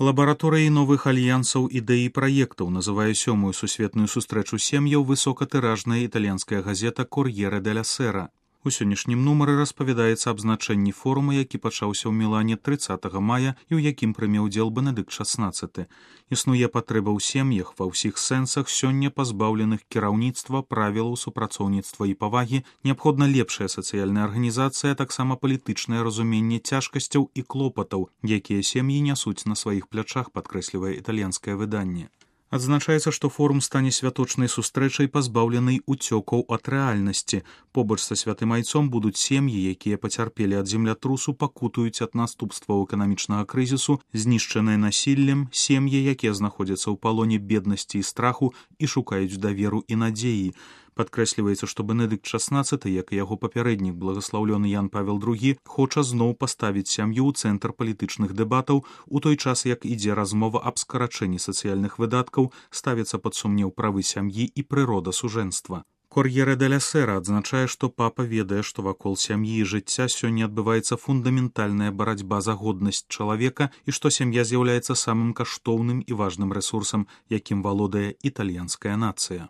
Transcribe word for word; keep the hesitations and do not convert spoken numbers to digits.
Лабараторыяй новых альянсаў ідэй і праектаў называе сёмую сусветную сустрэчу сем'яў высокатыражная італьянская газета «Кор'ере деля Сера». У сённяшнім нумары распавядаецца аб значэнні форума, які пачаўся ў Мілане трыццатага мая і ў якім прыме ўдзел Бенедыкт шаснаццаты. Існуе патрэба ў сем'ях ва ўсіх сэнсах сёння пазбаўленых кіраўніцтва, правілаў супрацоўніцтва і павагі, неабходна лепшая сацыяльная арганізацыя, а таксама палітычнае разуменне цяжкасцяў і клопатаў, якія сем'і нясуць на сваіх плячах, падкрэслівае італьянскае выданне. Адзначаецца, што форум стане святочнай сустрэчай, пазбаўленай уцёкаў ад рэальнасці. Побач са святым айцом будуць сем'і, якія пацярпелі ад землятрусу, пакутуюць ад наступстваў эканамічнага крызісу, знішчаныя насіллем, сем'і, якія знаходзяцца ў палоне беднасці і страху і шукаюць даверу і надзеі. Падкрэсліваецца, што Бенедыкт шаснаццаты, як і яго папярэднік благаслаўлёны Ян Павел другі, хоча зноў паставіць сям'ю ў цэнтр палітычных дэбатаў, у той час, як ідзе размова аб скарачэнні сацыяльных выдаткаў, ставіцца пад сумнеў правы сям'і і прырода сужэнства. «Кор'ере деля Сера» адзначае, што папа ведае, што вакол сям'і і жыцця сёння адбываецца фундаментальная барацьба за годнасць чалавека і што сям'я з'яўляецца самым каштоўным і важным рэсурсам, якім валодае італьянская нацыя.